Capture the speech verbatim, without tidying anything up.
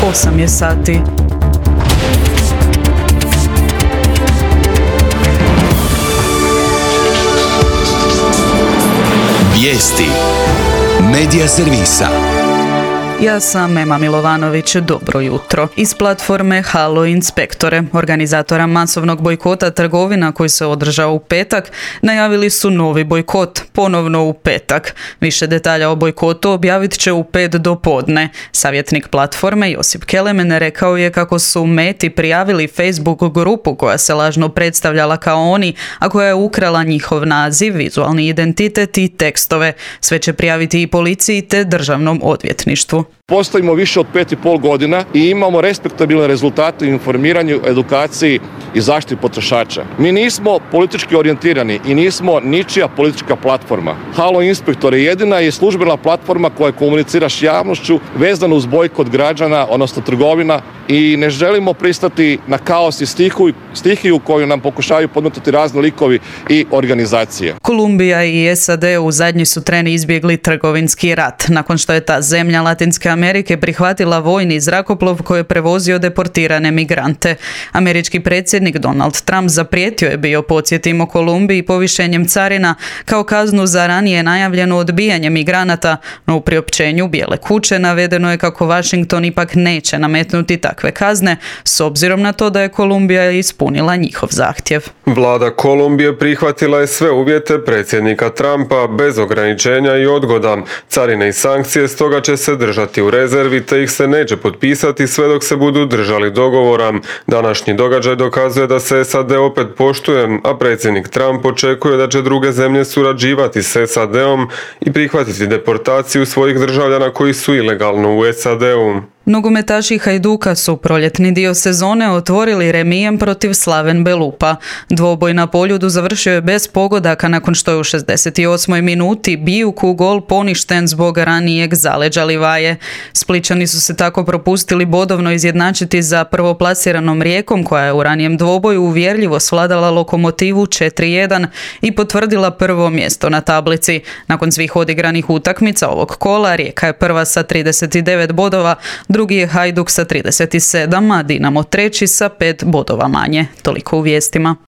osam je sati. Vijesti Medija servisa. Ja sam Ema Milovanović, dobro jutro. Iz platforme Halo Inspektore, organizatora masovnog bojkota trgovina koji se održao u petak, najavili su novi bojkot, ponovno u petak. Više detalja o bojkotu objavit će u pet do podne. Savjetnik platforme Josip Kelemen rekao je kako su Meti prijavili Facebook grupu koja se lažno predstavljala kao oni, a koja je ukrala njihov naziv, vizualni identitet i tekstove. Sve će prijaviti i policiji te državnom odvjetništvu. Postojimo više od pet i pol godina i imamo respektabilne rezultate u informiranju, edukaciji i zaštiti potrošača. Mi nismo politički orijentirani i nismo ničija politička platforma. Halo Inspektor je jedina je službena platforma koja komunicira s javnošću vezano uz bojkot građana, odnosno trgovina, i ne želimo pristati na kaos i stihiju, stihiju koju nam pokušavaju podmetati razni likovi i organizacije. Kolumbija i S A D u zadnji su tren izbjegli trgovinski rat, nakon što je ta zemlja Latinske Amerike prihvatila vojni zrakoplov koji je prevozio deportirane migrante. Američki predsjednik Donald Trump zaprijetio je bio, podsjetimo, Kolumbiji povišenjem carina kao kaznu za ranije najavljeno odbijanje migranata, no u priopćenju Bijele kuće navedeno je kako Washington ipak neće nametnuti takve kazne, s obzirom na to da je Kolumbija ispunila njihov zahtjev. Vlada Kolumbije prihvatila je sve uvjete predsjednika Trumpa bez ograničenja i odgoda. Carine i sankcije stoga će se držati u rezervi te ih se neće potpisati sve dok se budu držali dogovora. Današnji događaj dokazuje da se S A D opet poštuje, a predsjednik Trump očekuje da će druge zemlje surađivati s S A D-om i prihvatiti deportaciju svojih državljana koji su ilegalno u S A D-u. Nogometaši Hajduka su proljetni dio sezone otvorili remijem protiv Slaven Belupa. Dvoboj na Poljudu završio je bez pogodaka nakon što je u šezdeset osmoj minuti Bijuku gol poništen zbog ranijeg zaleđa Livaje. Splićani su se tako propustili bodovno izjednačiti za prvoplasiranom Rijekom koja je u ranijem dvoboju uvjerljivo svladala Lokomotivu četiri jedan i potvrdila prvo mjesto na tablici. Nakon svih odigranih utakmica ovog kola Rijeka je prva sa trideset devet bodova, drugi je Hajduk sa trideset sedam, a Dinamo treći sa pet bodova manje. Toliko u vijestima.